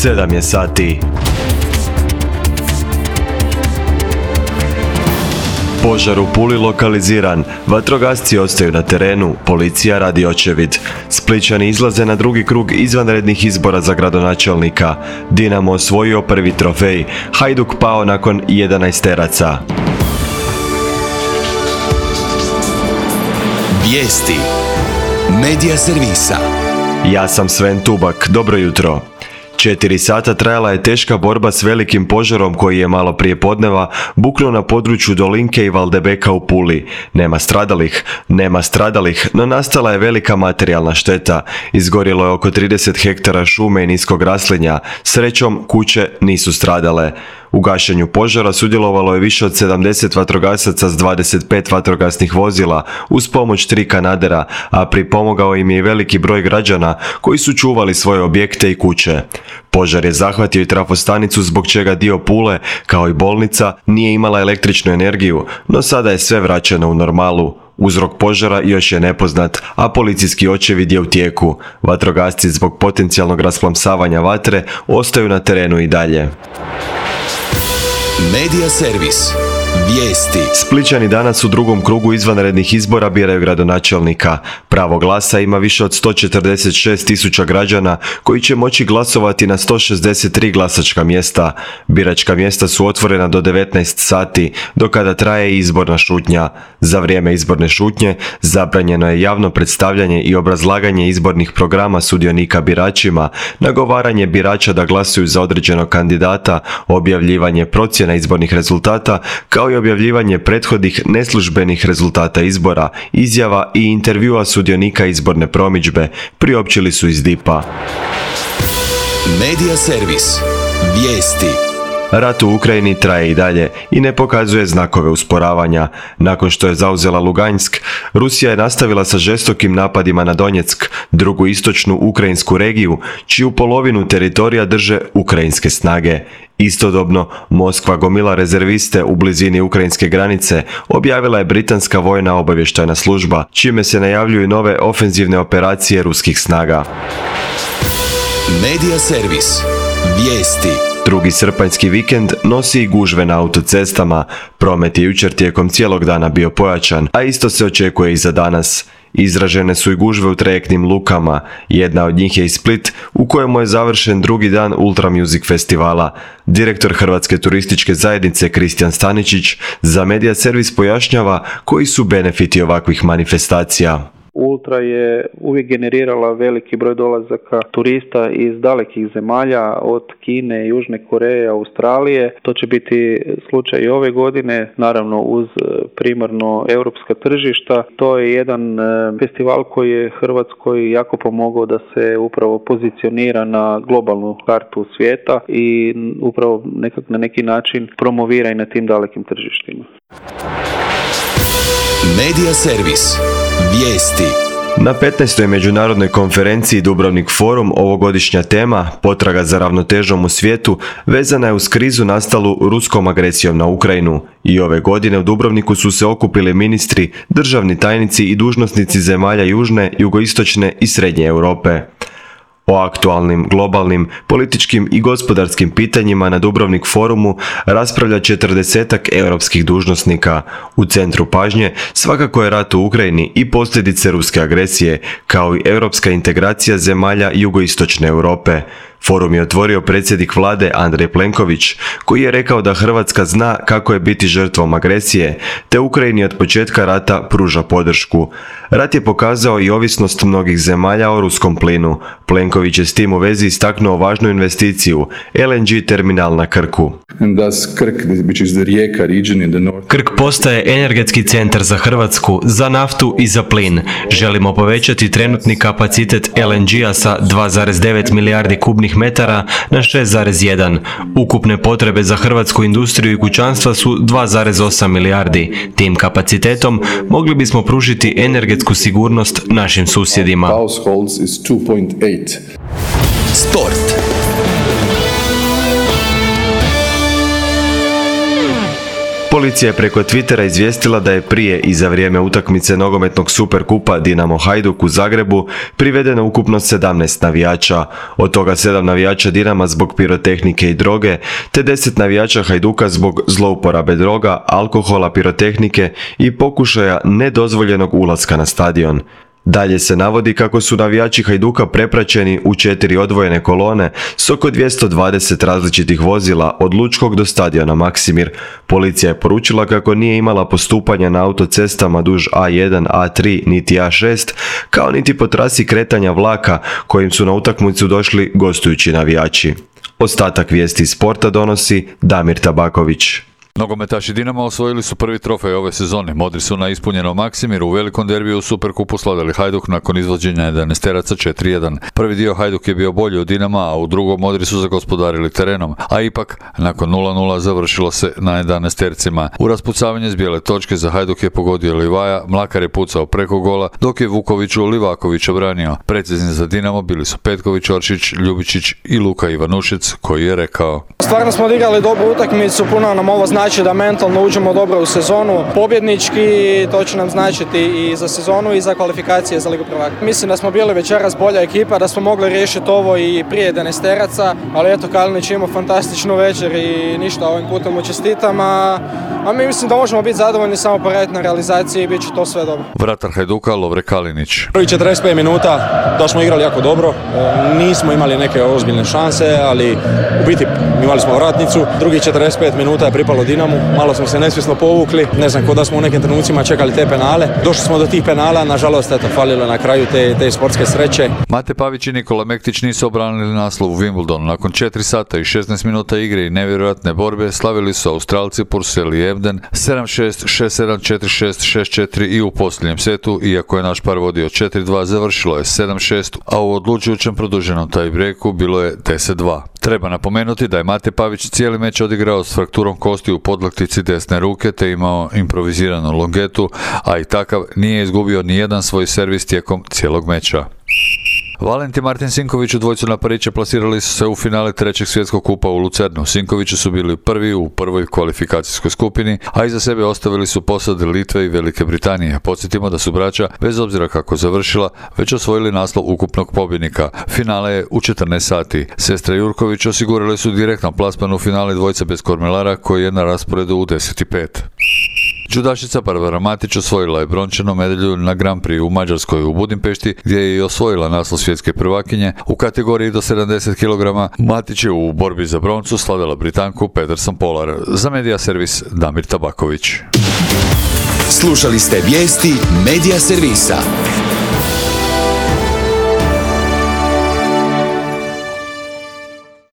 7 je sati. Požar u Puli lokaliziran, vatrogasci ostaju na terenu, policija radi očevid. Splićani izlaze na drugi krug izvanrednih izbora za gradonačelnika. Dinamo osvojio prvi trofej, Hajduk pao nakon 11 teraca. Vijesti Medija servisa. Ja sam Sven Tubak, dobro jutro. 4 sata trajala je teška borba s velikim požarom koji je malo prije podneva buknuo na području Dolinke i Valdebeka u Puli. Nema stradalih, no nastala je velika materijalna šteta. Izgorjelo je oko 30 hektara šume i niskog raslinja. Srećom, kuće nisu stradale. U gašenju požara sudjelovalo je više od 70 vatrogasaca s 25 vatrogasnih vozila uz pomoć 3 kanadera, a pripomogao im je i veliki broj građana koji su čuvali svoje objekte i kuće. Požar je zahvatio i trafostanicu zbog čega dio Pule, kao i bolnica, nije imala električnu energiju, no sada je sve vraćeno u normalu. Uzrok požara još je nepoznat, a policijski očevid je u tijeku. Vatrogasci zbog potencijalnog rasplamsavanja vatre ostaju na terenu i dalje. Medija servis. Vijesti. Splićani danas u drugom krugu izvanrednih izbora biraju gradonačelnika. Pravo glasa ima više od 146.000 građana koji će moći glasovati na 163 glasačka mjesta. Biračka mjesta su otvorena do 19 sati, do kada traje izborna šutnja. Za vrijeme izborne šutnje zabranjeno je javno predstavljanje i obrazlaganje izbornih programa sudionika biračima, nagovaranje birača da glasuju za određenog kandidata, objavljivanje procjena izbornih rezultata, kao i objavljivanje prethodnih neslužbenih rezultata izbora, izjava i intervjua sudionika izborne promidžbe, priopćili su iz DIP-a. Medija servis. Vijesti. Rat u Ukrajini traje i dalje i ne pokazuje znakove usporavanja. Nakon što je zauzela Lugansk, Rusija je nastavila sa žestokim napadima na Donjeck, drugu istočnu ukrajinsku regiju, čiju polovinu teritorija drže ukrajinske snage. Istodobno, Moskva gomila rezerviste u blizini ukrajinske granice, objavila je britanska vojna obavještajna služba, čime se najavljuju nove ofenzivne operacije ruskih snaga. Medija servis. Vijesti. Drugi srpanjski vikend nosi i gužve na autocestama. Promet je jučer tijekom cijelog dana bio pojačan, a isto se očekuje i za danas. Izražene su i gužve u trajektnim lukama. Jedna od njih je i Split, u kojemu je završen drugi dan Ultra Music festivala. Direktor Hrvatske turističke zajednice Kristijan Staničić za Medija servis pojašnjava koji su benefiti ovakvih manifestacija. Ultra je uvijek generirala veliki broj dolazaka turista iz dalekih zemalja, od Kine, Južne Koreje, Australije. To će biti slučaj i ove godine, naravno uz primarno europska tržišta. To je jedan festival koji je Hrvatskoj jako pomogao da se upravo pozicionira na globalnu kartu svijeta i upravo na neki način promovira i na tim dalekim tržištima. Medija servis. Vijesti. Na 15. međunarodnoj konferenciji Dubrovnik Forum ovogodišnja tema, potraga za ravnotežom u svijetu, vezana je uz krizu nastalu ruskom agresijom na Ukrajinu. I ove godine u Dubrovniku su se okupili ministri, državni tajnici i dužnosnici zemalja južne, jugoistočne i srednje Europe. O aktualnim, globalnim, političkim i gospodarskim pitanjima na Dubrovnik forumu raspravlja 40-ak europskih dužnosnika. U centru pažnje svakako je rat u Ukrajini i posljedice ruske agresije, kao i europska integracija zemalja jugoistočne Europe. Forum je otvorio predsjednik vlade Andrej Plenković, koji je rekao da Hrvatska zna kako je biti žrtvom agresije, te Ukrajini od početka rata pruža podršku. Rat je pokazao i ovisnost mnogih zemalja o ruskom plinu. Plenković je s tim u vezi istaknuo važnu investiciju, LNG terminal na Krku. Krk postaje energetski centar za Hrvatsku, za naftu i za plin. Želimo povećati trenutni kapacitet LNG-a sa 2,9 milijardi kubnih metara na 6,1. Ukupne potrebe za hrvatsku industriju i kućanstva su 2,8 milijardi. Tim kapacitetom mogli bismo pružiti energetsku sigurnost našim susjedima. Sport. Policija je preko Twittera izvijestila da je prije i za vrijeme utakmice nogometnog Superkupa Dinamo Hajduk u Zagrebu privedeno ukupno 17 navijača, od toga 7 navijača Dinama zbog pirotehnike i droge, te 10 navijača Hajduka zbog zlouporabe droga, alkohola, pirotehnike i pokušaja nedozvoljenog ulaska na stadion. Dalje se navodi kako su navijači Hajduka prepraćeni u 4 odvojene kolone s oko 220 različitih vozila od Lučkog do stadiona Maksimir. Policija je poručila kako nije imala postupanja na autocestama duž A1, A3 niti A6, kao niti po trasi kretanja vlaka kojim su na utakmicu došli gostujući navijači. Ostatak vijesti iz sporta donosi Damir Tabaković. Nogometaši Dinama osvojili su prvi trofej ove sezone. Modri su na ispunjenom Maksimiru u velikom derbiju u Superkupu slavili Hajduk nakon izvođenja 11-teraca 4-1. Prvi dio Hajduk je bio bolji od Dinama, a u drugom Modri su zagospodarili terenom, a ipak nakon 0-0 završilo se na 11-tercima. U raspucavanje s bijele točke za Hajduk je pogodio Livaja, Mlakar je pucao preko gola, dok je Vukoviću Livaković obranio. Precizni za Dinamo bili su Petković, Oršić, Ljubičić i Luka Ivanušec, koji je rekao: Stvarno smo odigrali dobru utakmicu, puno nam ovo znači da mentalno uđemo dobro u sezonu. Pobjednički, to će nam značiti i za sezonu i za kvalifikacije za Ligu prvaka. Mislim da smo bili večeras bolja ekipa, da smo mogli riješiti ovo i prije 11-teraca, ali eto, Kalinić ima fantastičnu večer i ništa, ovim putem mu čestitam, a mi mislim da možemo biti zadovoljni samo po radnoj realizaciji i bit će to sve dobro. Vratar Hajduka Lovre Kalinić: Prvi 45 minuta da smo igrali jako dobro, nismo imali neke ozbiljne šanse, ali u biti imali smo vratnicu. Drugi 45 minuta je pripalo Dinamu, malo smo se nesvjesno povukli, ne znam, ko da smo u nekim trenucima čekali te penale. Došli smo do tih penala, nažalost, eto, falilo na kraju te sportske sreće. Mate Pavić i Nikola Mektić nisu obranili naslov u Wimbledonu. Nakon 4 sata i 16 minuta igre i nevjerojatne borbe slavili su Australci Purcell i Ebden 7-6, 6-7, 4-6, 6-4 i u posljednjem setu, iako je naš par vodio 4-2, završilo je 7-6, a u odlučujućem produženom tiebreaku bilo je 10-2. Treba napomenuti da je Mate Pavić cijeli meč odigrao s frakturom kosti u podlaktici desne ruke te imao improviziranu longetu, a i takav nije izgubio ni jedan svoj servis tijekom cijelog meča. Valent i Martin Sinković u dvojcu na Pariće plasirali su se u finale trećeg svjetskog kupa u Lucernu. Sinkovići su bili prvi u prvoj kvalifikacijskoj skupini, a iza sebe ostavili su posade Litve i Velike Britanije. Podsjetimo da su braća, bez obzira kako završila, već osvojili naslov ukupnog pobjednika. Finale je u 14 sati. Sestre Jurković osigurali su direktno plasman u finale dvojca bez kormilara koji je na rasporedu u 10:05. Đudašica Barbara Matić osvojila je brončanu medalju na Grand Prix u Mađarskoj u Budimpešti, gdje je i osvojila naslov svjetske prvakinje. U kategoriji do 70 kg Matić je u borbi za broncu slavila Britanku Peterson Polar. Za Medija servis Damir Tabaković. Slušali ste vijesti Medija servisa.